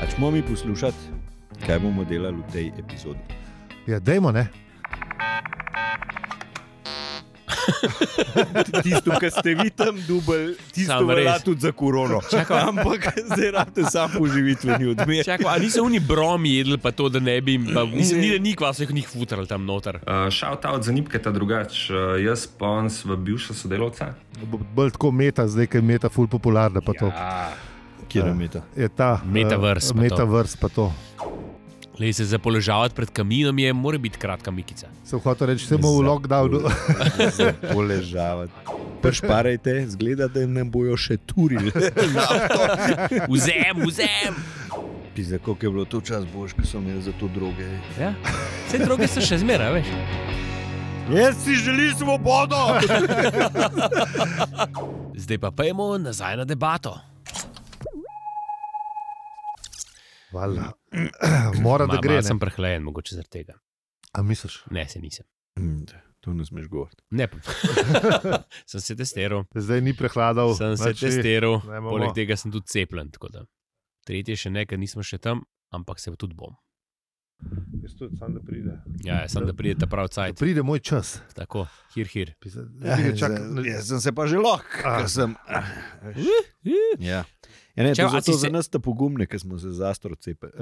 Ačmo mi poslušati, kaj bomo delali v tej epizodi. Ja, dajmo, ne? Tisto, kar ste vi tam dubali, tisto velja tudi za korono. Ampak zdaj rabite sam poživitveni odmer. Čakaj, a niso oni bromi jedli pa to, da ne bi... Mislim, ni kvasih njih futrali tam noter. Shout out za Nipketa drugač. Jaz pa on sva bivša sodelavca. Bolj tako meta, zdaj, ker je meta ful popularna pa to. Kjer je meta? Je ta Metaverse pa to. Lej, se zapoložavati pred kaminom mora biti kratka mikica. Sem hotel reči, se bomo v lockdownu. Zapoložavati. Pršparajte, zgleda, da nam bojo še turili. Vzem! Pizda, koliko je bilo to čas bož, ko so imeli za to droge. Ja, vse droge so še zmeraj, veš. Jaz si želim svobodo! Zdaj pa pojmo nazaj na debato. Valjda. Mora, da gre. Malo sem prehlajen, mogoče zaradi tega. A misliš? Ne, se nisem. To ne smeš govoriti. Ne, sem se testiral. Zdaj ni prehladal. Sem se testiral, poleg tega sem tudi cepljen. Tako da. Tretje še ne, ker nismo še tam, ampak se tudi bom. Jaz tudi, sam da pride. Ja, sam da pride ta prav cajt. Pride moj čas. Tako, hir. Jaz sem se pa že lahko, ker sem... Ja. Ja, ne, to zato za nas ta pogumne, ker smo se zastro cepili.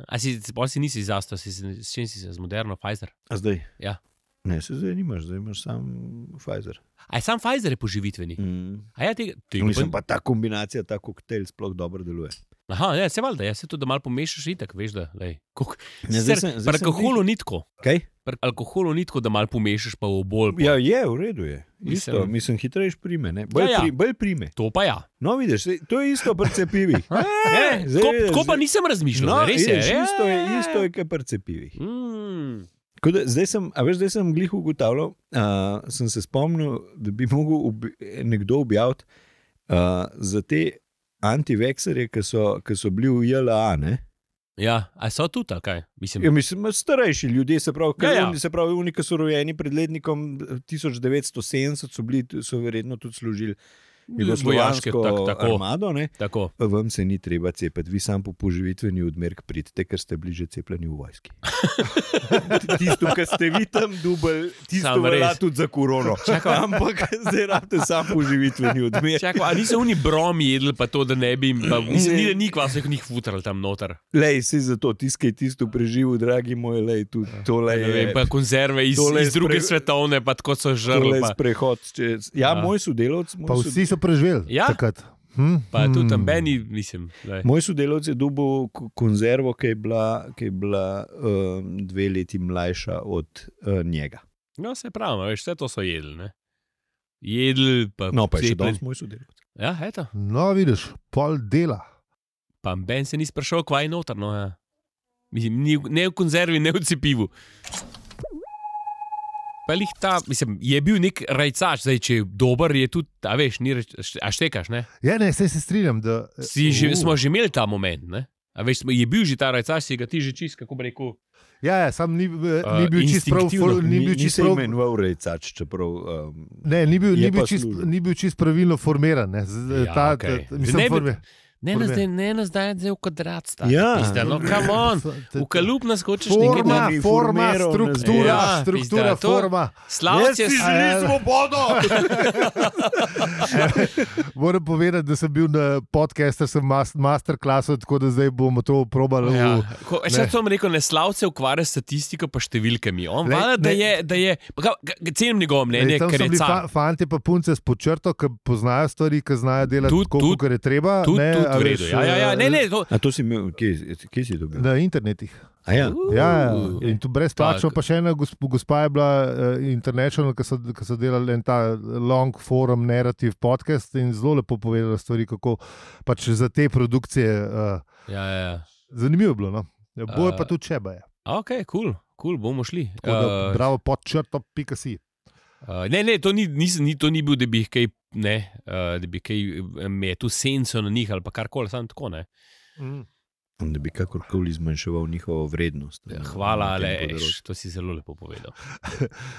A si nisi zastro, s čim si se, z Moderno, Pfizer? A zdaj? Ja. Ne, se zdaj nimaš, zdaj imaš sam Pfizer. A je sam Pfizer je poživitveni? A ja, tega mislim, pa ta kombinacija, ta koktejl sploh dobro deluje. Aha, ja, se valjda, ja se to, da malo pomešaš itak, veš da, lej. Pri alkoholu ni tako. Kaj? Pri alkoholu ni tako, da malo pomešaš pa v bolj. Ja, je, v redu je. Isto, mislim, hitrejš prime, ne? Bolj prime. To pa ja. No, vidiš, to je isto pri cepivih. Tako pa nisem razmišljal, res je. Isto je, kot pri cepivih. Zdaj sem glih ugotavljal, sem se spomnil, da bi mogel nekdo objaviti za te antivekserje, ki so bili v JLA, ne? Ja, a so tudi, ali kaj? Mislim, starejši ljudje, se pravi, oni, ki so rojeni pred letnikom 1970, so verjetno tudi služili jugoslovansko armado, ne? Tako. Pa vam se ni treba cepiti, vi sam po poživitveni odmerk pridite, ker ste bliže cepljeni v vojski. Tisto, kar ste vi tam dubali, tisto velja tudi za korono. Ampak zdaj rabite sam poživitveni odmerk. Čakaj, a niso oni bromi jedli pa to, da ne bi, mislim, ni kvasih njih futrali tam noter. Lej, si zato, tiskaj tisto preživel, dragi moj, lej, tudi tole je... Pa konzerve iz druge svetovne, pa tako so žrli. Tole je sprehod. Ja, moj sodelavc... Pa vsi so preživeli takrat. Pa tudi tam meni, mislim. Moj sodelavc je dobil konzervo, ki je bila 2 leti mlajša od njega. No, se pravi, veš, vse to so jedli, ne? Jedli, pa... No, pa je še danes moj sodelavc. Ja, eto. No, vidiš, pol dela. Pa Ben se ni sprašal, kva je noter, no, ja. Mislim, ne v konzervi, ne v cepivu. Pa lih ta, mislim, je bil nek rajcač, zdaj, če je dober, je tudi, a veš, a štekaš, ne? Ja, ne, se strinjam, da... Smo že imeli ta moment, ne? A veš, je bil že ta rajcač, si ga ti že čist, kako bi rekel... Ja, sam ni bil čist prav... Nisi imenoval rajcač, čeprav... Ne, ni bil čist pravilno formiran, ne? Ja, okej. Ne nas daje zdaj v kvadrat staviti. Ja. Pizda, no, come on. V kalup nas hočeš nekaj... Forma, struktura, forma. Slavc je... Jaz si želim svobodo! Moram povedati, da sem bil na podcastu, sem masterklasu, tako da zdaj bomo to probali. Še to vam rekel, ne Slavc se ukvarja s statistiko pa številkami. On vada, da je... Cenim njegovo mnenje, ker je car. Fantje pa punce s počrto, ki poznajo stvari, ki znajo delati tako, kot je treba. V redu, ja, ne, to... A to si imel, kje si dobil? Na internetih. A ja? Ja, in tu brezplačno, pa še ena gospa je bila international, ki so delali en ta long forum narrative podcast in zelo lepo povedala stvari, kako pač za te produkcije. Ja. Zanimivo je bilo, no. Boje pa tudi čeba je. Ok, cool, bomo šli. Bravo, podčrto.si. Ne, to ni bil, da bi kaj, ne, da bi kaj metu senco na njih ali pa karkoli, samo tako, ne. Da bi kakorkoli zmanjševal njihovo vrednost. Hvala, Aleš, to si zelo lepo povedal.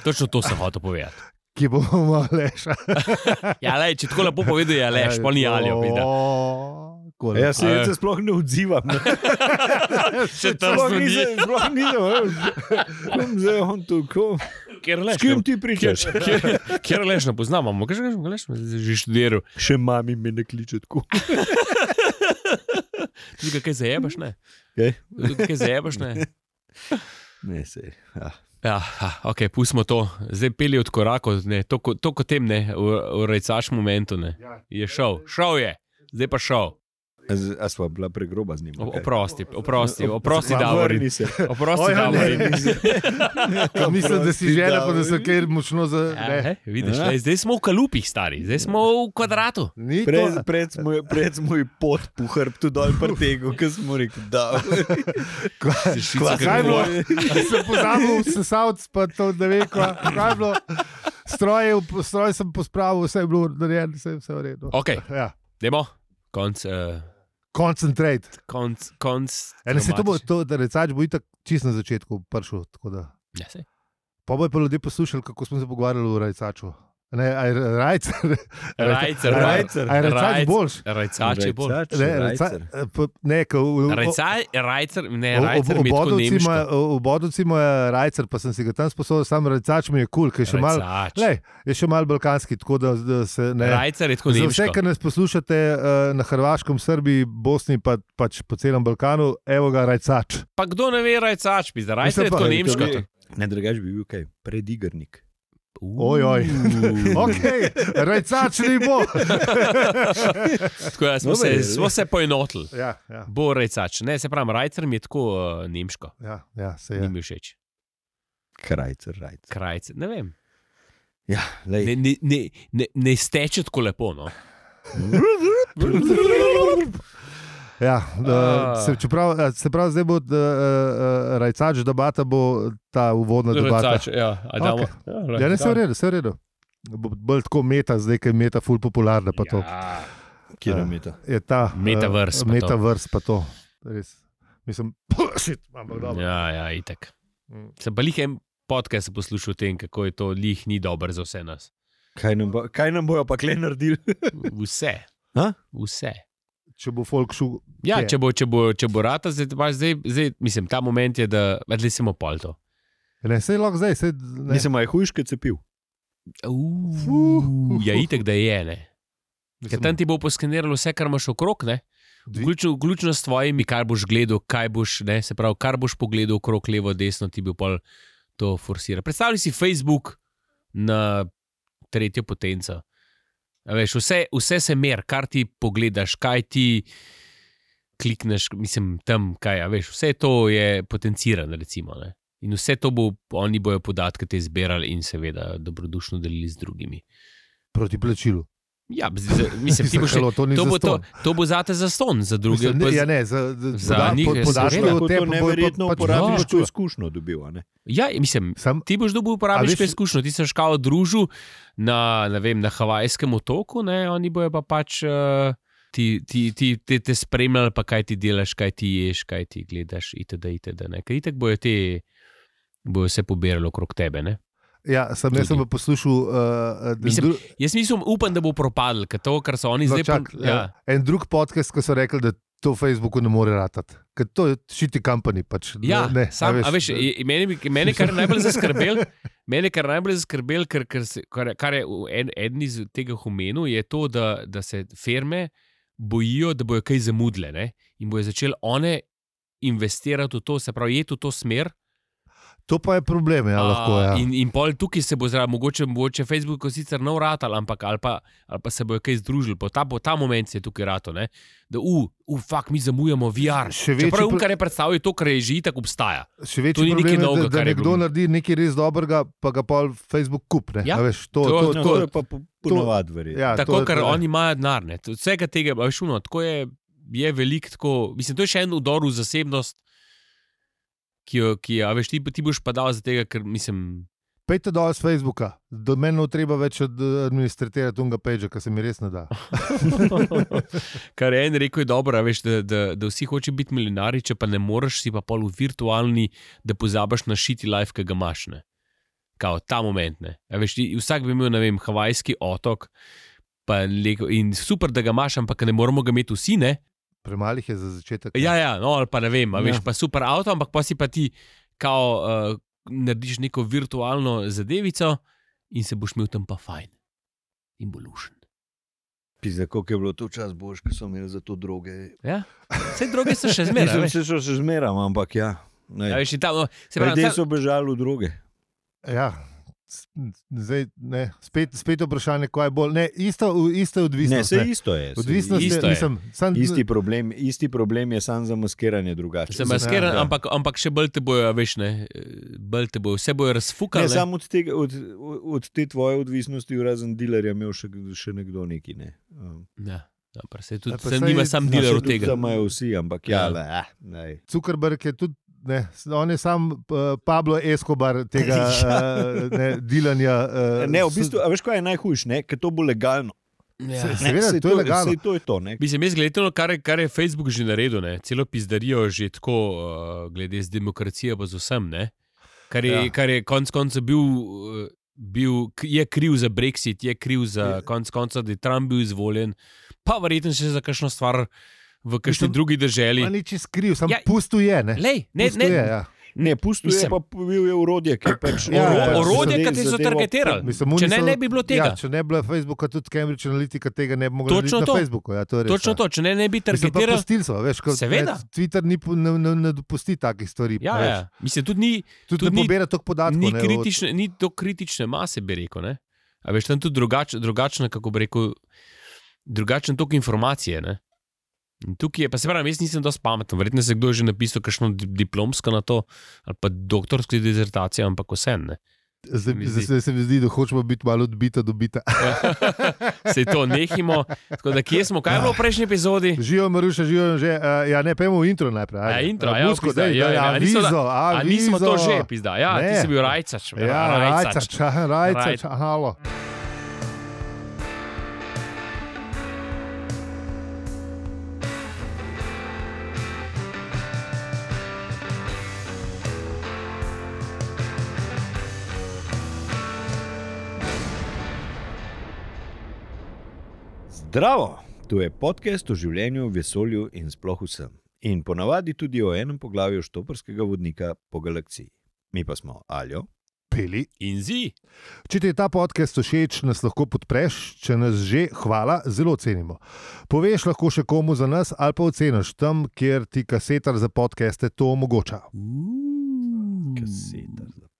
Točno to sem hotel povedati. ki bomo Aleša. Ja, lej, če tako lepo povedal, je Aleš, pa ni Aljo. Jaz se sploh ne odzivam. Še tam Sploh nisem. Zdaj on tukaj. S kim ti pričaš? Kjer Aleš ne poznamo? Kaj že Aleš že študiral? Še mami me ne kliče tako. Tudi kaj zajebaš, ne? Kaj zajebaš, ne? Ne, sej. Ja, ok, pustimo to. Zdaj peli od korakov, ne, to kot tem, ne, v rajcaš momentu, ne. Je šel je, zdaj pa šel. A sva bila pregroba z njim? Oprosti, Davorin. Oprosti, Davorin. Mislim, da si želel, pa da se kaj močno za... Vidiš, zdaj smo v kalupih, stari, zdaj smo v kvadratu. Pred smo ji pot po hrbtu dol prtegu, ko smo rekli, da... Kaj je bilo? Sem pozabil sesavc, pa to ne ve, kaj je bilo. Stroj sem pospravil, vse je bilo narejeno, vse je v redu. Ok, dajmo, konc... Concentrate. Se to, da recač bo itak čisto na začetku prišel. Ja, sej. Pa bojo pa ljudje poslušali, kako smo se pogovarjali v rajcaču. Ne, Rajcer. Aj recač boljš. Rajcač je boljš. Rajcer mi je tako nemško. V Bodovci mu je rajcer, pa sem si ga tam sposobil, sam rajcač mi je kul, ker je še mal balkanski, tako da se ne... Rajcer je tako nemško. Za vse, kar nas poslušate na Hrvaškem, Srbiji, Bosni, pač po celem Balkanu, evo ga rajcač. Pa kdo ne ve rajcač, pizda, rajcer je tako nemško. Ne, drugač bi bil kaj, predigrnik. Ojoj, ok, rajcač ni bo. Tako da smo se poenotili. Ja. Bo rajcač. Ne, se pravim, rajcer mi je tako nemško. Ja, se je. Ni mi všeč. Krajcer. Ne vem. Ja, lej. Ne steče tako lepo, no. Ja, se pravi, zdaj bo rajcač debata, bo ta uvodna debata. Rajcač, ja. Okay. Ja, ne, se v redu. Bolj tako meta, zdaj, ker je meta ful popularna, pa to. Kjer je meta? Je ta Metaverse pa to. Res. Mislim, ampak dobro. Ja, itak. Se pa lih en podcast poslušal o tem, kako je to lih ni dober za vse nas. Kaj nam bojo pa kle naredili? Vse. Vse. Če bo folk šel. Ja, če bo rata, zdaj, mislim, ta moment je, da vedli smo pol to. Ne, sej lahko zdaj. Mislim, je hujške cepil. Ja, itek, da je, ne. Ker tam ti bo poskeniralo vse, kar imaš okrog, ne. Vključno s tvojimi, kar boš gledal, kaj boš, ne, se pravi, kar boš pogledal okrog, levo, desno, ti bo pol to forsira. Predstavljaj si Facebook na tretjo potenco. Veš, vse se mer, kar ti pogledaš, kaj ti klikneš, mislim, tam, kaj, veš, vse to je potencirano, recimo, ne. In vse to oni bojo podatke te zbirali in seveda dobrodušno delili z drugimi. Proti plačilu. Ja, mislim, ti boš to bo zate zastonj, za druge. Za njih to neverjetno uporabiško izkušnjo dobil, ne? Ja, mislim, ti boš dobil uporabiško izkušnjo, ti se škao družil na Havajskem otoku, ne, oni bojo pa pač te spremljali, pa kaj ti delaš, kaj ti ješ, kaj ti gledaš, itd., ne. Ker itak bojo se pobirali okrog tebe, ne. Ja, jaz sem pa poslušal... Jaz upam, da bo propadl, ker to, kar so oni zdaj... En drug podcast, ko so rekli, da to v Facebooku ne more ratati. Ker to je shitty company. Pač, ja, mene kar najbolj zaskrbel, kar je eden iz tega omenil, je to, da se firme bojijo, da bojo kaj zamudile, ne? In bojo začeli one investirati v to, se pravi, jeti v to smer. To pa je problem, ja, lahko, ja. In pol tukaj se bo zraven, mogoče Facebook sicer nov ratal, ampak ali pa se bojo kaj združili, ta moment se je tukaj ratal, ne, da fuck, mi zamujamo VR. Čeprav kar je predstavljal to, kar je že itak obstaja. Še večji problem je, da nekdo naredi nekaj res dobrega, pa ga pol Facebook kup, ne. Ja, veš, to je pa ponovad verjetno. Ja, tako, ker oni imajo denar, ne. Vsega tega, veš, tako je veliko, tako, mislim, to je še en udor v zasebnost, ki veš, ti boš pa dal za tega, ker mislim... Pejte dol z Facebooka, do meni treba več administratirati unga page, kar se mi res ne da. Kar je en rekel je dobro, veš, da vsi hoče biti milijonari, če pa ne moreš, si pa pol v virtualni, da pozabaš na shitty life, ki ga imaš, ne. kao ta moment. Veš, vsak bi imel, ne vem, havajski otok in super, da ga imaš, ampak ne moramo ga imeti vsi, ne? Premalih je za začetek. Ja, no, ali pa ne vem, veš, pa super avto, ampak pa si pa ti kao narediš neko virtualno zadevico in se boš imel tam pa fajn in bo lušen. Pizda, koliko je bilo to čas boš, ko so imeli za to droge. Ja, vse droge so še zmeraj. Mislim, se še zmeram, ampak ja. Veš, tam, Ljudje so bežali v droge. Ja, zdaj, ne, spet vprašanje, kaj je bolj. Ne, isto odvisnost. Ne, vse isto je. Odvisnost isto je. Isti problem je samo zamaskiranje drugače. Se maskiran, ampak še bolj te bojo, veš, ne, bolj te bojo, vse bojo razfukali. Ne, samo od te tvoje odvisnosti, razen dilerja, imel še nekdo neki, ne. Ja. Dobro, se nima sam dealer od tega. Samo je vsi, ampak Zuckerberg je tudi, ne, on je sam Pablo Escobar tega dilanja. Ne, v bistvu, a veš, kaj je najhujš, ne, ker to bo legalno. Ja. Seveda, to je legalno. To je to, ne. Mislim, jaz gledam, kar je Facebook že naredil, ne, celo pizdarijo že tako, glede z demokracijo pa z vsem, ne, kar je konc konca je kriv za Brexit, je kriv za konc konca, da je Trump bil izvoljen, pa verjetno še za kakšno stvar v kakšni drugi državi. Ni čist kriv, samo pustil je, ne? Ne, pustil je, pa bil je orodje, ki je pač... Orodje, ki ti so targetirali. Če ne bi bilo tega. Ja, če ne bi bilo Facebooka, tudi Cambridge Analytica tega ne bi mogli narediti na Facebooku. Ja, to je res, točno to, če ne bi targetirali. Pustili so, veš, Twitter ne dopusti takih stvari. Ja. Mislim, tudi ne pobira toliko podatkov. Ni to kritične mase, bi rekel, ne? A veš, tam tudi drugačne, kako bi rekel, drugačen tok informacije, ne? Tukaj je, pa se pravim, jaz nisem dosti pameten, verjetno se kdo je že napisal kakšno diplomsko na to, ali pa doktorsko dizertacijo, ampak vse, ne. Zdaj se mi zdi, da hočemo biti malo odbita. Sej to nehimo. Tako da, kje smo, kaj je bilo v prejšnji epizodi? Živijo Maruša, živijo že, ne, pojmo intro najprej. Ja, intro, nismo to že, pizda. Ja, ti si bil Rajcač. Rajcač, halo. Zdravo, tu je podcast o življenju, vesolju in sploh vsem. In ponavadi tudi o enem poglavju štoparskega vodnika po galaksiji. Mi pa smo Aljo, Peli in Zi. Če ti je ta podcast všeč, nas lahko podpreš, če nas že, hvala, zelo cenimo. Poveš lahko še komu za nas ali pa oceniš tam, kjer ti kasetar za podcaste to omogoča. Kasetar za podcast.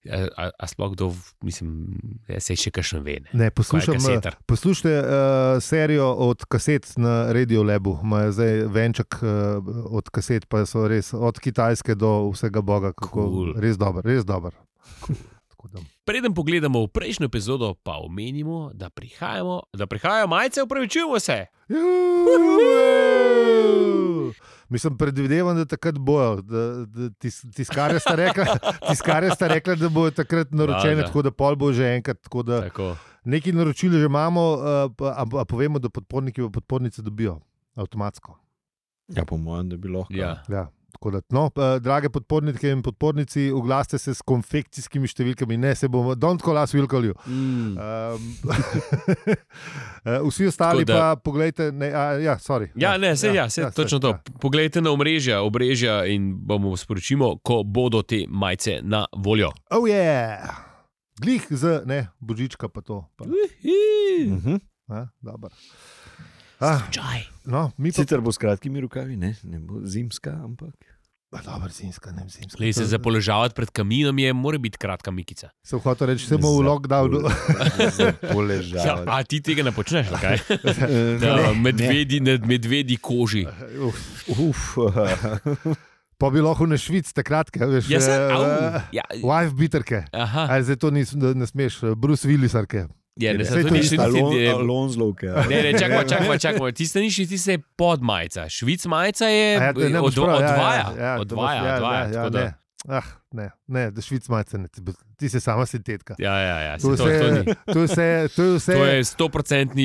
A sploh kdo, mislim, se še kakšno ve. Ne, poslušajte serijo od kaset na Radio Labu. Imajo zdaj venček od kaset, pa so res od Kitajske do vsega boga. Cool. Res dober. Cool. Preden pogledamo v prejšnjo epizodo, pa omenimo, da prihajajo majice, upravičujemo se. Mislim, predvidevam, da takrat bojo. Tiskarje sta rekla, da bojo takrat naročene, tako da pol bo že enkrat. Nekaj naročil že imamo, a povemo, da podporniki v podpornice dobijo avtomatsko. Ja, po mojem, da bi lahko. Ja. Tako da, drage podpornike in podpornici, oglasite se s konfekcijskimi številkami, ne se bomo, don't call us, we'll call you. Vsi ostali pa poglejte, točno to. Poglejte na obrežja in bomo sporočimo, ko bodo te majice na voljo. Oh yeah! Glih z, božička pa to. Dobro. Sicer bo s kratkimi rokavi, ne bo zimska, ampak... Dobro, zimska. Se zapoložavati pred kaminom mora biti kratka mikica. Sem hotel reči, se bomo v lockdownu. Zapoložavati. A ti tega ne počneš, kaj? Medvedi koži. Pa bi lahko na Švic, te kratke, veš, wife beaterke. Zdaj to ne smeš, Bruce Willisarke. Ja, ne, to ni še Alonzlovke. Ne, čakaj, tiste ni še tiste podmajica. Švic majica je odvaja. Ne, da švic malce ne, ti si sama sintetika. Ja. To je vse. To je 100%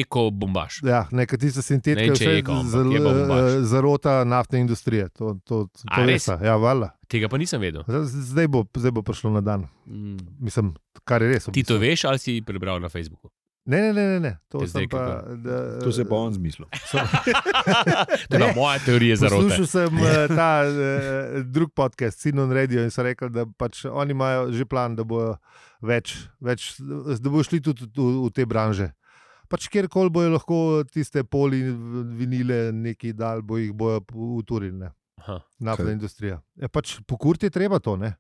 eko bombaž. Ja, neka tista sintetika je vse zarota naftne industrije. To res? Ja, valjda. Tega pa nisem vedel. Zdaj bo prišlo na dan. Mislim, kar je res. Ti to veš ali si prebral na Facebooku? Ne. To se pa on zmislil. To je moja teorija zarote. Poslušal sem ta drug podcast, Sinon Radio, in so rekli, da pač oni imajo že plan, da bojo več, da bojo šli tudi v te branže. Pač kjerkoli bojo lahko tiste poli, vinile, neki dal, bojo uturili. Naftna industrija. Pač pokurti je treba to, ne?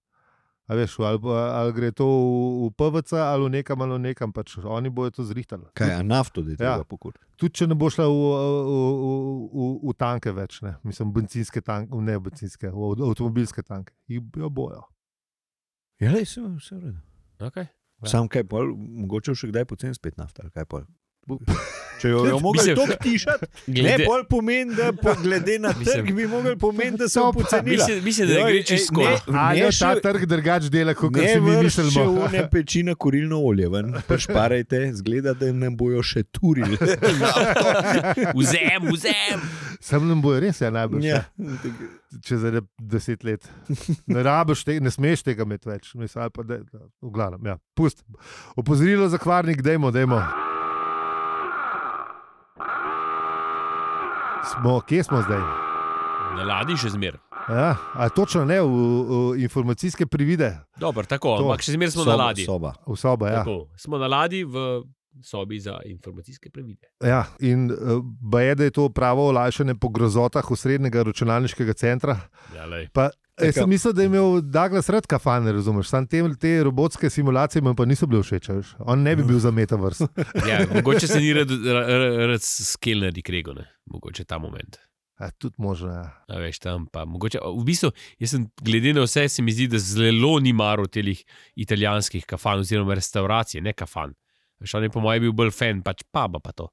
A veš, ali gre to v PVC ali v nekam, pač oni bojo to zrihtali. Kaj, a nafto da je treba pokuriti? Tudi če ne bo šla v tanke več, ne? Mislim, bencinske tanke, ne bencinske, avtomobilske tanke. Jo bojo. Ja, le, vse v redu. Okay. Sam kaj pol, mogoče še kdaj pocen spet nafta, ali kaj pol? Če jo mogli toliko tišati, ne bolj pomeni, da glede na trg bi mogli pomeni, da so pocenila. Mislim, da gre čisto skoro. Ali ta trg drugač dela, kot si mi mislimo. Če une peči na kurilno olje ven, pa šparajte, zgleda, da nam bojo še turili. Vzem! Sam nam bojo res, najbolj. Ja. Čez 10 let. Ne smeš tega imeti več. Mislim, pa v glavnem, ja. Pust. Opozorilo za kvarnik, dajmo. Kje smo zdaj? Na ladji še zmer. Ja, točno ne, v informacijske privide. Dobro, tako, ampak še zmer smo na ladji. V soba, ja. Tako, smo na ladji v sobi za informacijske privide. Ja, in baje, da je to pravo olajšanje po grozotah osrednjega računalniškega centra. Ja, lej. Jaz sem mislil, da je imel Douglas rad kafane, razumeš? Sam te robotske simulacije mi pa niso bile všeč. On ne bi bil za metaverse. Ja, mogoče se ni rad skelneri krego, ne? Mogoče ta moment. Tudi možno, ja. A veš, tam pa mogoče. V bistvu, jaz sem glede na vse, se mi zdi, da zelo ni maro telih italijanskih kafan oziroma restauracij, ne kafan. Veš, on je po mojem bil bolj fan, pač paba pa to.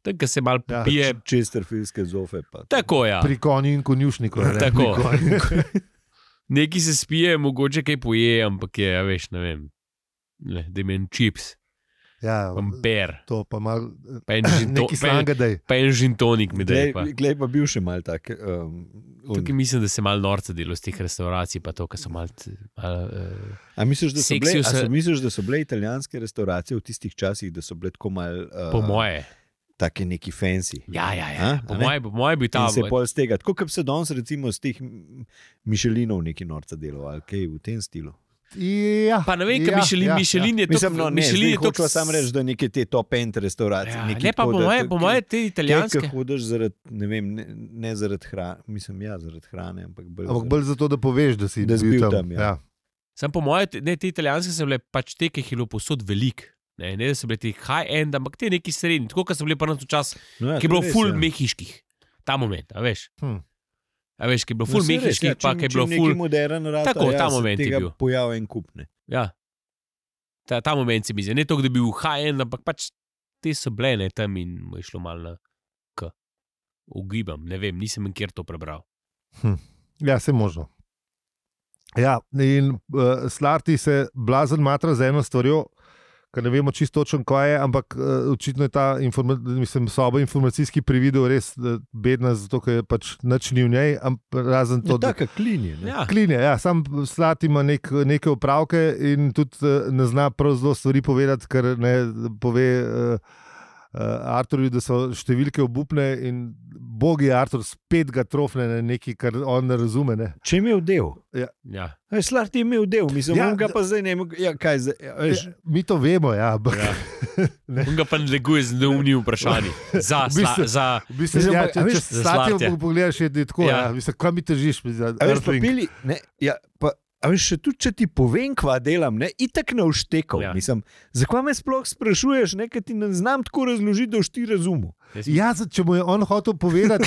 Tako se malo pije. Chesterfieldske zofe pa. Tako, ja. Pri konju in konjušniku. Tako. Neki se spije, mogoče kaj poje, ampak je, ja, veš, ne vem, da imen čips, pamper, to pa malo, neki slanga daj. Pa en žintonik mi daj. Glej pa bil še mal tak. Tukaj mislim, da se malo norca delo z teh restauracij, pa to, ki so malo A misliš, da so bile italijanske restauracije v tistih časih, da so bile tako malo po moje take neki fancy. Ja. Po moje bi ta. In se pol z tega, tako kot se danes recimo z teh Michelinov neki norca delo, ali kaj v tem stilu. Ja. Pa ne vem, kaj Michelin je to. Mislim, Michelin je to, ko sam reč, da neke te top end restauracije. Ja, ne pa po moje te italijanske. Kaj hodiš zaradi, ne vem, ne zaradi hrane, mislim, zaradi hrane, ampak bolj zato, da poveš, da si bil tam. Ja. Sam po moje, te italijanske so bile pač te, ki jih je bilo posod veliko. Ne, da so bile ti high-end, ampak te neki srednji, tako kot so bili pa na to čas, ki je bilo full mehiških. Ta moment, a veš? A veš, ki je bilo full mehiških, pa ki je bilo full modern rad. Tako, ta moment je bil. Pojav en kupne. Ja. Ta moment se mi zdi. Ne to, da bi bil high-end, ampak pač te so bile, ne, tam in mu je šlo malo na k. Ugibam, ne vem, nisem nikjer to prebral. Ja, se možno. Ja, in Slarti se blazen matra z eno stvarjo, ker ne vemo čisto točno, kaj je, ampak očitno je ta soba informacijski prividel res bedna, zato ker je pač nič ni v njej, razen to, da... Taka klinje, ne? Ja. Klinje, ja. Sam Slat ima neke opravke in tudi ne zna prav zelo stvari povedati, ker ne pove Arturju, da so številke obupne in bogi Artur spet ga trofne na nekaj, kar on ne razume. Ne? Če je imel del. Ja. Slat je imel del, mislim, on ga pa zdaj ne kaj zdaj. Mi to vemo, ja. On ga pa neguje z neumnimi vprašanji. Če Slat je pogledaš, je tako, mislim, kaj mi težiš? A veš, tudi če ti povem, kva delam, itak ne vštekal. Ja. Mislim, zakaj me sploh sprašuješ, ker ti ne znam tako razložiti, da boš ti razumel. Ja, če mu je on hotel povedati,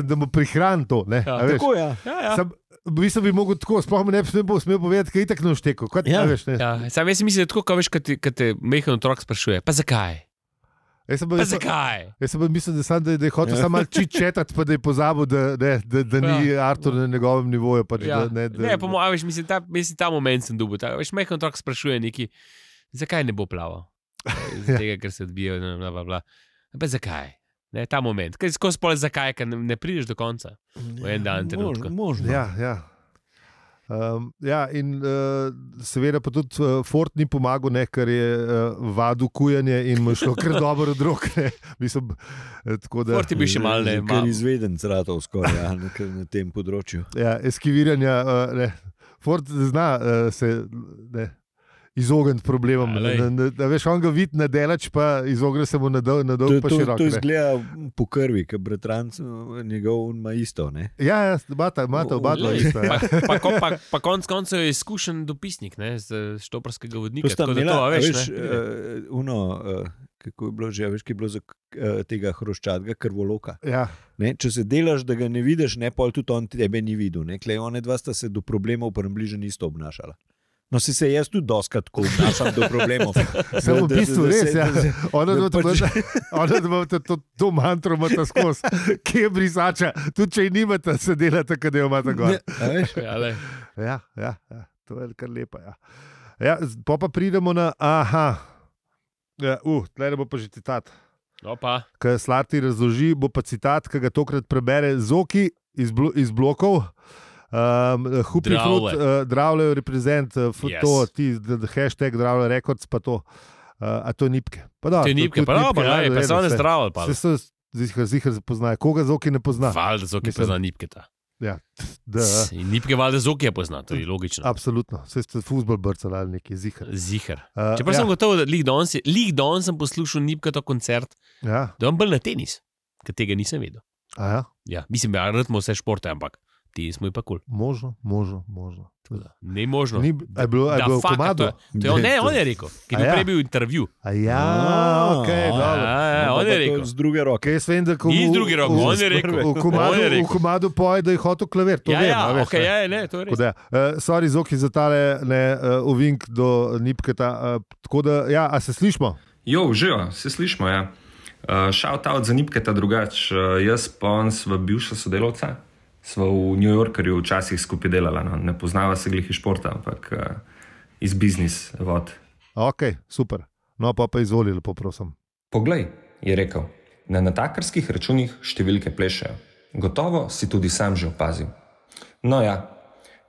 da mu prihrani to. Ne, ja, tako, ja. Mislim, bi mogel tako, sploh mi ne bi smel povedati, ker itak ne vštekal. Ja. Sam jaz mislim, da tako, ko te mehen otrok sprašuje, pa zakaj? Zakaj? Jaz sem mislil, da je hotel samo malo čičetati, pa da je pozabil, da ni Artur na njegovem nivoju. Pač, mislim, ta moment sem dobil. Majhen otrok sprašuje neki, zakaj ne bo plaval? Zaradi tega, ker se odbijajo, Pa zakaj? Ne, ta moment. Kaj skozi pole zakaj, ker ne prideš do konca? V en dan trenutku. Možno. In seveda pa tudi Ford ni pomagal, ker je vadil kujanje in mu je šlo kar dobro od rok. Ford je bil še malo Ker izveden zratov skoraj na tem področju. Ja, eskiviranja. Ford zna se izogniti problemom. Veš, on ga vidi na delač, pa izogne se mu na dolg pa širok. To izgleda po krvi, ker bratranc njegov ima isto. Ne? Ja, imata oba dva isto. Pa konc koncev je izkušen dopisnik z štoparskega vodnika. To sta imela, kako je bilo že, veš, ki je bilo za tega hroščatega krvoloka. Ja. Ne, če se delaš, da ga ne vidiš, pol tudi on tebe ni videl. One dva sta se do problemov približno isto obnašala. No, si se jaz tudi doskrat tako obnašam do problemov. Samo v bistvu res, ja. Ona da to mantro imata skozi, ki je brisača. Tudi če ji nimata, se delata, kad jo imata gor. Ja, to je kar lepa, ja. Pa pridemo na, tlele bo pa že citat. Kaj Slarty razloži, bo pa citat, ki ga tokrat prebere Zoki iz blokov. Hupi Fruit, Dravlje reprezent, hashtag Dravlje Records, pa to. A to je Nipke. To je Nipke, pa so one zdravlje. Zihar poznajo. Koga Zoki ne pozna? Valjda Zoki pozna Nipketa. Ja. In Nipke valjda Zoki je pozna, to je logično. Absolutno. Vse ste fuzbol brcali ali neki Zihar. Čeprav sem gotov, da lig danes sem poslušal Nipketo koncert, da on bolj na tenis, ker tega nisem vedel. Ja, mislim, da rad vse športe, ampak ti smo pa kul. Možno. Ne možno. Je bilo v komadu? On je rekel, ki je prej bil intervju. On je rekel. Z druge roke. Ni z druge roke, on je rekel. V komadu poje, da je hotel klavir. To vem. To je res. Sorry, Zoki, za tale ovink do Nipketa. Tako da, a se slišmo? Živo, se slišmo, ja. Shout out za Nipketa drugač. Jaz pa on sva bivša sodelovca. Sva v New Yorkerju včasih skupaj delala. Ne poznava se glih iz športa, ampak iz biznis vod. Ok, super. No pa izvoli, lepo prosim. Poglej, je rekel, na natakarskih računih številke plešejo. Gotovo si tudi sam že opazil. No ja,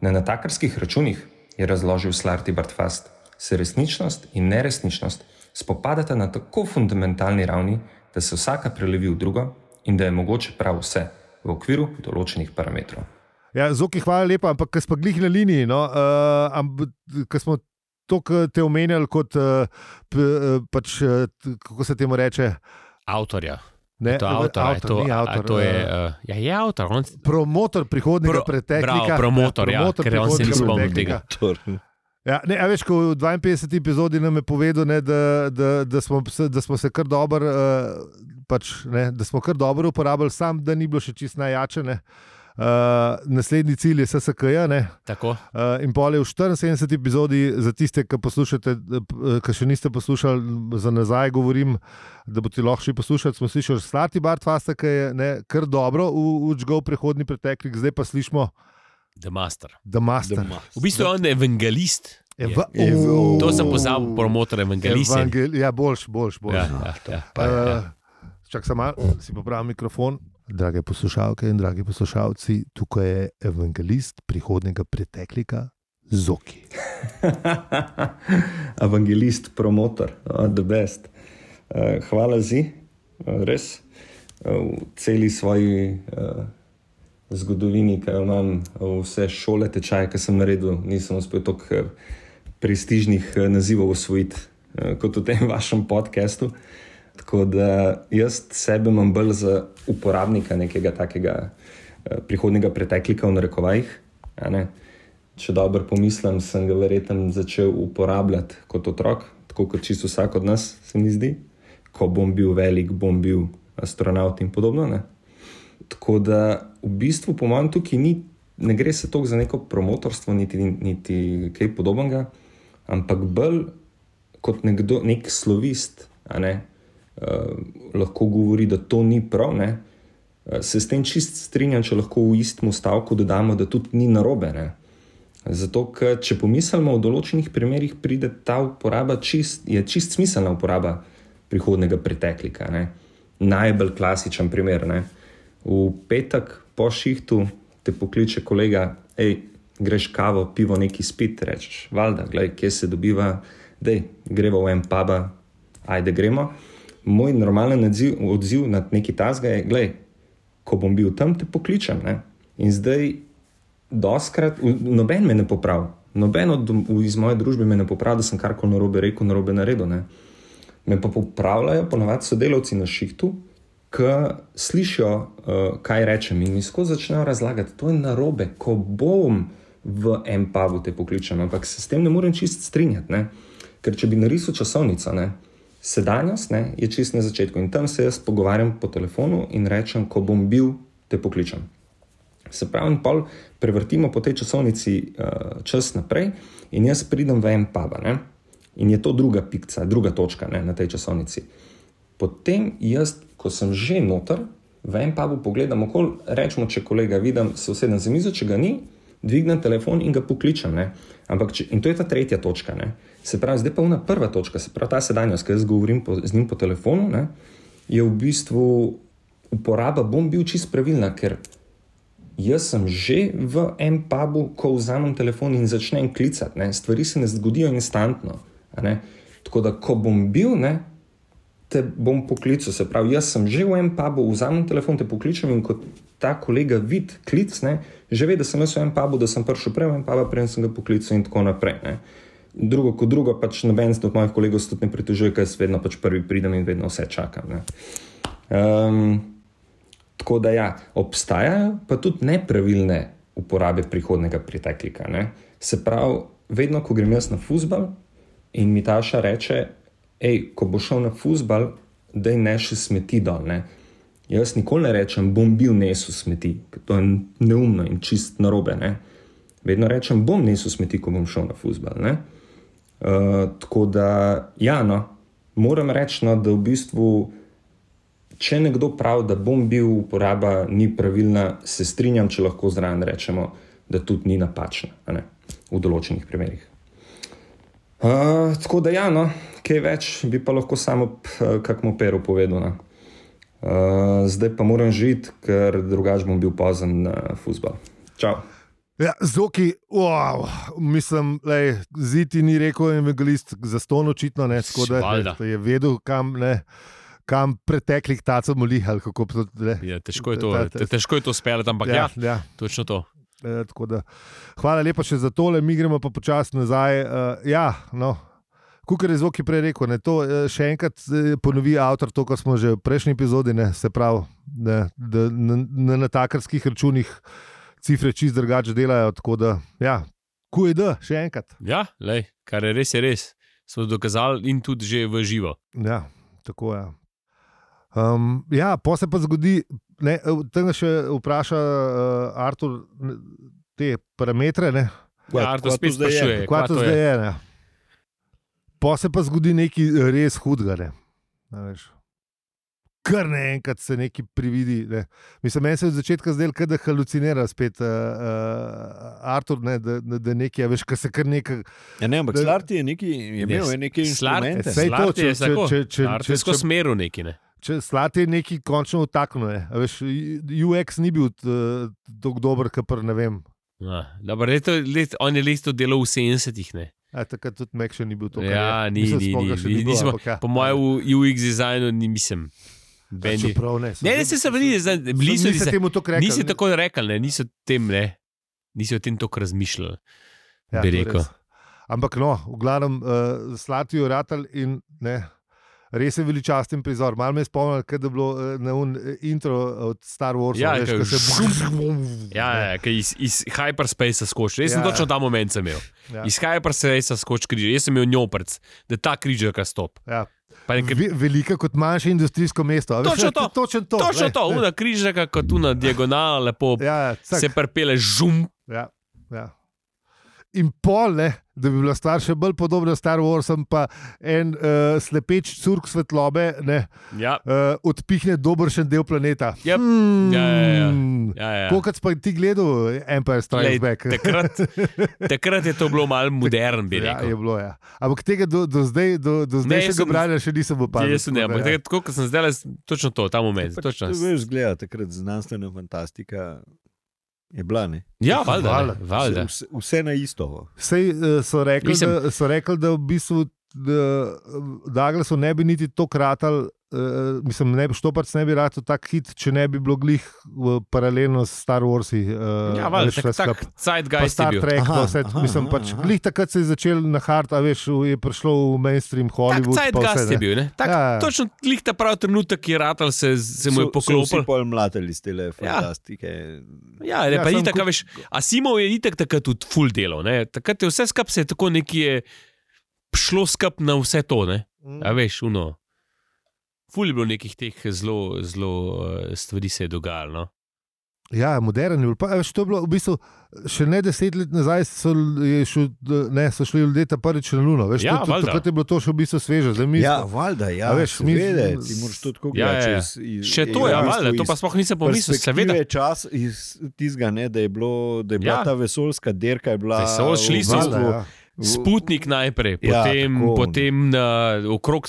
na natakarskih računih, je razložil Slarty Bartfast, se resničnost in neresničnost spopadata na tako fundamentalni ravni, da se vsaka prelevi v drugo in da je mogoče prav vse v okviru določenih parametrov. Ja, Zoki, hvala lepa, ampak ko smo glih na liniji, ko smo to te omenjali kot, kako se temu reče? Avtorja. Ne, to je avtor. Promotor prihodnega preteklika. Promotor, ker on se ni spomnil tega. Ja, veš, ko v 52. epizodi nam je povedal, da smo se kar dobro da smo kar dobro uporabljali, sam da ni bilo še čisto najjače. Naslednji cilj je SSK-ja. In pol je v 74. epizodi, za tiste, ki poslušate, ki še niste poslušali, za nazaj govorim, da boste lahko še poslušali, smo slišali Slarty Bartfasta, ki je kar dobro učgal prehodni preteklik, zdaj pa slišimo The Master. V bistvu je on evangelist. To sem pozabil, promotor evangelist. Boljš. Čak sem malo, si popravil mikrofon. Drage poslušalke in dragi poslušalci, tukaj je evangelist prihodnega preteklika Zoki. Evangelist, promotor, the best. Hvala res. V celi svoji zgodovini, ki imam vse šole, tečaje, ki sem naredil, nisem uspel toliko prestižnih nazivov osvojiti kot v tem vašem podcastu. Tako da jaz sebe imam bolj za uporabnika nekega takega prihodnega preteklika v narekovajih. Če dobro pomislim, sem ga verjetno začel uporabljati kot otrok, tako kot čisto vsak od nas, se mi zdi. Ko bom bil velik, bom bil astronaut in podobno. Tako da v bistvu po mojem tukaj ne gre se toliko za neko promotorstvo, niti kaj podobnega, ampak bolj kot nek slovist, lahko govori, da to ni prav, ne? Se s tem čist strinjam, če lahko v istem stavku dodamo, da tudi ni narobe. Ne? Zato, ker če pomislimo, v določenih primerih pride ta uporaba je čist smiselna uporaba prihodnega preteklika. Ne? Najbolj klasičen primer. Ne? V petek po šihtu te pokliče kolega, greš kavo, pivo, neki spit, rečeš, valjda, glej, kje se dobiva, greva v en puba, ajde gremo. Moj normalen odziv na neki tasga je, glej, ko bom bil tam, te pokličem. Ne? In zdaj, doskrat, noben me ne popravi, noben iz moje družbe me ne popravi, da sem karkoli narobe rekel, narobe naredil. Ne? Me pa popravljajo ponavadi sodelavci na šihtu, ki slišijo, kaj rečem in mi skozi začnejo razlagati, to je narobe, ko bom v en pubu te pokličem, ampak se s tem ne morem čist strinjati, ne? Ker če bi narisal časovnico, ne? Sedanjost, ne, je čist na začetku in tam se jaz pogovarjam po telefonu in rečem, ko bom bil, te pokličem. Se pravi, pol prevrtimo po tej časovnici čas naprej in jaz pridem v en puba, ne, in je to druga pikca, druga točka, ne, na tej časovnici. Potem jaz, ko sem že noter, v en pubu pogledam okoli, rečemo, če kolega vidim, se usedem za mizo, če ga ni, dvignem telefon in ga pokličem, ne. Ampak in to je ta tretja točka, ne. Se pravi, zdaj pa ona prva točka, se pravi ta sedanjost, ki jaz govorim z njim po telefonu, ne, je v bistvu uporaba, bom bil čist pravilna, ker jaz sem že v en pubu, ko vzamem telefon in začnem klicati, ne, stvari se ne zgodijo instantno, ne. Tako da, ko bom bil, ne, te bom poklical, se pravi, jaz sem že v en pubu, vzamem telefon, te pokličem in kot ta kolega vid klic, ne, že ve, da sem jaz v en pubu, da sem prišel prej v en pubu, prej sem ga poklical in tako naprej, ne. Drugo kot drugo, pač noben od mojih kolegov se tudi ne pritožuje, ker jaz vedno pač prvi pridem in vedno vse čakam, ne. Tako da ja, obstajajo pa tudi nepravilne uporabe prihodnega preteklika, ne. Se pravi, vedno, ko grem jaz na fuzbal in mi Taša reče, ko bo šel na fuzbal, daj nesi smeti dol, ne. Jaz nikoli ne rečem, bom bil nesel smeti, ker to je neumno in čist narobe, ne. Vedno rečem, bom nesel smeti, ko bom šel na fuzbal, ne. Tako da, ja, no, moram reči, no, da v bistvu, če nekdo pravi, da bom bil, uporaba ni pravilna, se strinjam, če lahko zraven rečemo, da tudi ni napačna, ne, v določenih primerih. Tako da, ja, no, kaj več bi pa lahko samo kakmo peru povedal, no. Zdaj pa moram žiti, ker drugače bom bil pozen na fuzbal. Čau. Ja, Zoki, wow, mislim, Ziti ni rekel evangelist za ston očitno, ne, tako da je vedel, kam preteklih tacov moli, ali kako to, ne. Ja, težko je to speljati, ampak ja, točno to. Tako da, hvala lepa še za tole, mi gremo pa počasi nazaj. Kukor je Zoki prej rekel, ne, to še enkrat ponovi avtor to, kar smo že v prejšnji epizodi, ne, se pravi, da na takarskih računih cifre čist drugače delajo, tako da, ja, QED, še enkrat. Ja, kar je res, smo dokazali in tudi že v živo. Ja, tako je. Ja, pa se pa zgodi, ne, tega še vpraša Artur te parametre, ne. Ja, Artur spet sprašuje, kva to zdaj je, ne. Pa se pa zgodi nekaj res hudega, ne. Veš. Kar naenkrat se nekaj prividi. Ne. Mislim, meni se od začetka zdelo, da halucinira spet Artur, ne, da nekaj, veš, kar se kar nekaj... Ja, ne, ampak Slarti je imel nekaj instrumente. Slarti je tako, Slarti je skozi smeru nekaj, ne. Slarti je nekaj končno utaknil, ne. Veš, UX ni bil tako dober, kakor ne vem. Dobro, on je leto delal v 70-ih, ne. Takrat tudi Mac še ni bil to, kar ja, ni. Po mojem v UX dizajnu nisem. Nisi tako rekel, niso o tem tako razmišljali, ja, bi rekel. Ampak no, v glavnem Slarti je ratal in ne, res je veličasten prizor. Malo me je spomnil, kada je bilo na intro od Star Warsa. Ja, veš, ki iz hyperspacea skoči. Jaz sem točno ta moment sem imel. Ja. Iz hyperspacea skoči križ. Jaz sem imel njoprc, da ta križarka stop. Ja. Velika kot manjše industrijsko mesto. Točno to. Una križarka kot una diagonala lepo se prepele žum. Ja. in pol, ne, da bi bila stvar še bolj podobna Star Warsom, pa en slepeč curk svetlobe odpihne dobršen del planeta. Yep. Kolikrat pa ti gledal Empire Strikes Back? Takrat je to bilo malo modern, bi rekel. Ja, je bilo, ja. Ampak tega do zdaj še ga branja še nisem opazil. Ampak tega, tako kot sem zdaj, točno to, ta moment. To veš, gleda, takrat znanstvena fantastika je bila, ne? Ja, valjda. Vse na isto. Sej so rekli, da v bistvu Douglasu ne bi niti to kratal, mislim, Štoparc ne bi rad tak hit, če ne bi bilo glih paralelno s Star Warsi. Ja, valjda, tak zeitgeist je bil. Star Trek, mislim, pač glih takrat se je začel na hard, a veš, je prišlo v mainstream Hollywood. Tak zeitgeist je bil, ne? Točno glih ta prav trenutek je ratal, se mu je poklopil. So vsi pol mlatili z tele fantastike. Ja, pa itak, veš, Asimov je itak takrat tudi full delal, ne? Takrat je vse skap se je tako nekje šlo skap na vse to, ne? A veš, ful je bilo nekih teh zelo stvari se je dogajalo, no? Ja, modern je bil. Pa, veš, to je bilo v bistvu še ne 10 let nazaj so šli ljudje ta prvič na Luno. Veš, ja, valjda. Takrat je bilo to še v bistvu sveže. Valjda, ja. Veš, ti moraš to tako gledati. Še to je, valjda, to pa sploh nisem pomislil. Seveda je čas iz tizga, ne, da je bila ta vesoljska derka, je bila šli so Sputnik najprej, potem okrog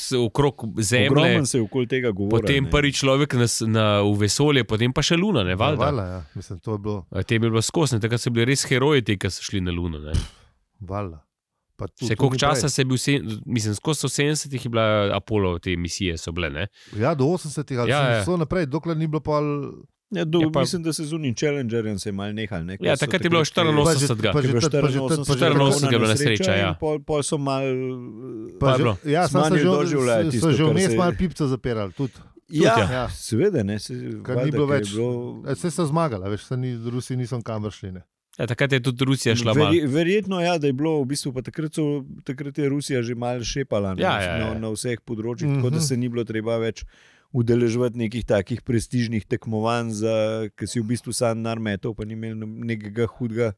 Zemlje. Ogromno se je okoli tega govorilo. Potem prvi človek v vesolje, potem pa še Luna, ne, valjda. Ja. Mislim, to je bilo. Te bi bilo skosne, takrat so bili res heroji, ki so šli na Luno, ne. Valjda. Še koliko časa se je bil, mislim, skozi 70-ih je bila Apollo, te misije so bile, ne. Ja, do 80-ih, ali so naprej, dokler ni bilo pa... Ja, mislim, da se z unim Challengerjem se je malo nehal. Ja, takrat je bilo 84. Pa že 84 je bila nesreča, ja. Pol so malo smanjili doživljati. So že vmes malo pipca zapirali tudi. Ja, seveda, ne. Kar ni bilo več. Vse so zmagali, veš, Rusi niso kamor šli, ne. Ja, takrat je tudi Rusija šla malo. Verjetno, ja, da je bilo v bistvu, pa takrat je Rusija že malo šepala na vseh področjih, tako da se ni bilo treba več udeleževati nekih takih prestižnih tekmovanj, ki si v bistvu sam narmetov, pa ni imel nekega hudega,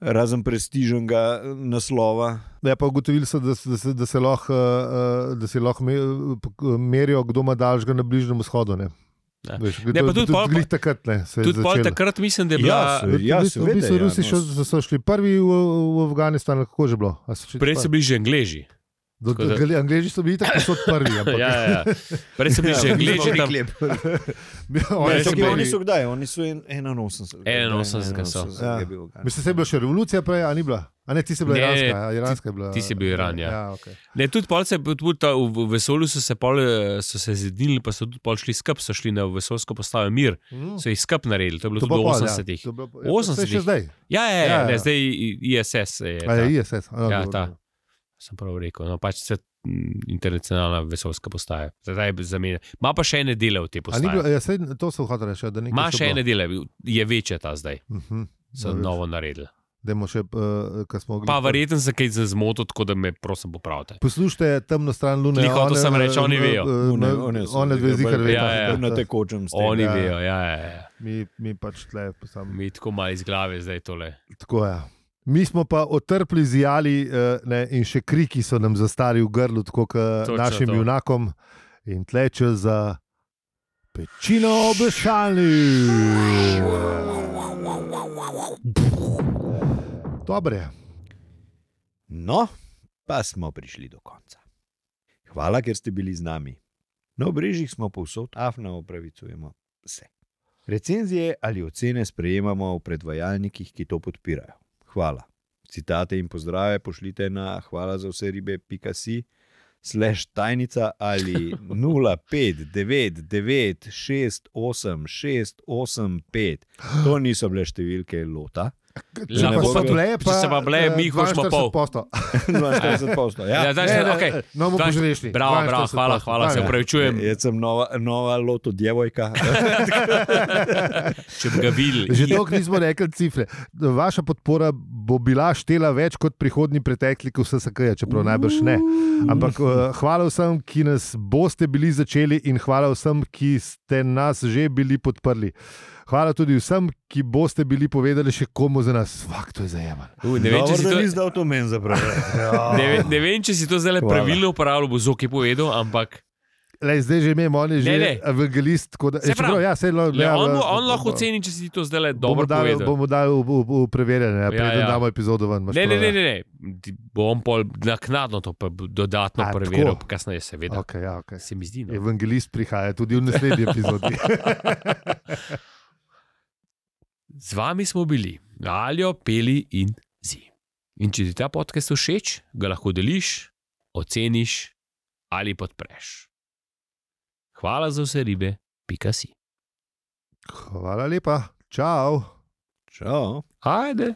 razen prestižnega naslova. Ja, pa ugotovili so, da se lahko merijo, kdo ima daljšega na Bližnjem vzhodu, ne. Ja. Veš, tudi takrat mislim, da je bila... Rusi so šli prvi v Afganistan, kako že bilo? Prej so bili že Angleži. Angleži so bili tako so prvi. Ja. Prej so bili že Angleži tam. Oni so kdaj? Oni so 81. 81 so. Mislim, se je bila še revolucija prej, a ni bila? A ne, ti si bila iranska je bila. Ti si bil Iran, ja. Okay. Ne, tudi v vesolju so se zedinili, pa so tudi pol šli skup, so šli na vesoljsko postavo Mir. So jih skup naredili, to je bilo tudi v 80-ih. 80-ih? Še zdaj? Ja, zdaj ISS je ta. ISS. Ja, ta. Sem prav rekel, no, pač se internacionalna vesoljska postaja. Zdaj zamenja. Ma pa še ene dele v te postaje. To so hotel reči, da nekaj. Ma še ene dele, je večja ta zdaj. So novo naredili. Še, pa verjetno se kaj zmotil, tako da me prosim popravite. Poslušajte temno stran Lune. Tiho, to sem reči, oni vejo. One dve zihar vejo. Na tekočem ste. Oni vejo, ja. Mi pač tle. Mi tako malo iz glave zdaj tole. Tako je. Mi smo pa otrpli zijali in še kriki so nam zastali v grlu, tako kot našim junakom. In tleče za pečino obešalni. Dobre. No, pa smo prišli do konca. Hvala, ker ste bili z nami. Na obrežjih smo povsod, afna opravicujemo vse. Recenzije ali ocene sprejemamo v predvajalnikih, ki to podpirajo. Hvala. Citate in pozdrave pošljite na hvala-za-vse-ribe.si/tajnica ali 0599686685. To niso bile številke lota. Če se pa bile, mi hočemo pol. 42%. Ja, no, mu poželišni. Bravo, hvala, se upravičujem. Jaz sem nova loto djevojka. Če bi ga videli. Že dolgo nismo rekli cifre. Vaša podpora bo bila štela več kot prihodnji pretekliki vse, čeprav najbrž ne. Ampak hvala vsem, ki nas boste bili začeli in hvala vsem, ki ste nas že bili podprli. Hvala tudi vsem, ki boste bili povedali še komu za nas. Fak, to je zajeman. Ne vem, če si to izdal to meni zapravljati. Ne vem, če si to zdaj pravilno uporabljal, bo Zoki povedal, ampak... Zdaj že imamo, on je že evangelist. On lahko oceni, če si to zdaj dobro povedal. Bomo dali v preverjanje, preden damo epizodo ven. Ne. Bom pol naknadno to dodatno preveril, kasneje seveda. Okay. Se mi zdi. Evangelist prihaja tudi v naslednji epizodi. Z vami smo bili Aljo, Peli in Zi. In če ti ta podcast všeč, ga lahko deliš, oceniš ali podpreš. Hvala za vse ribe, .si. Hvala lepa, čau. Čau. Ajde.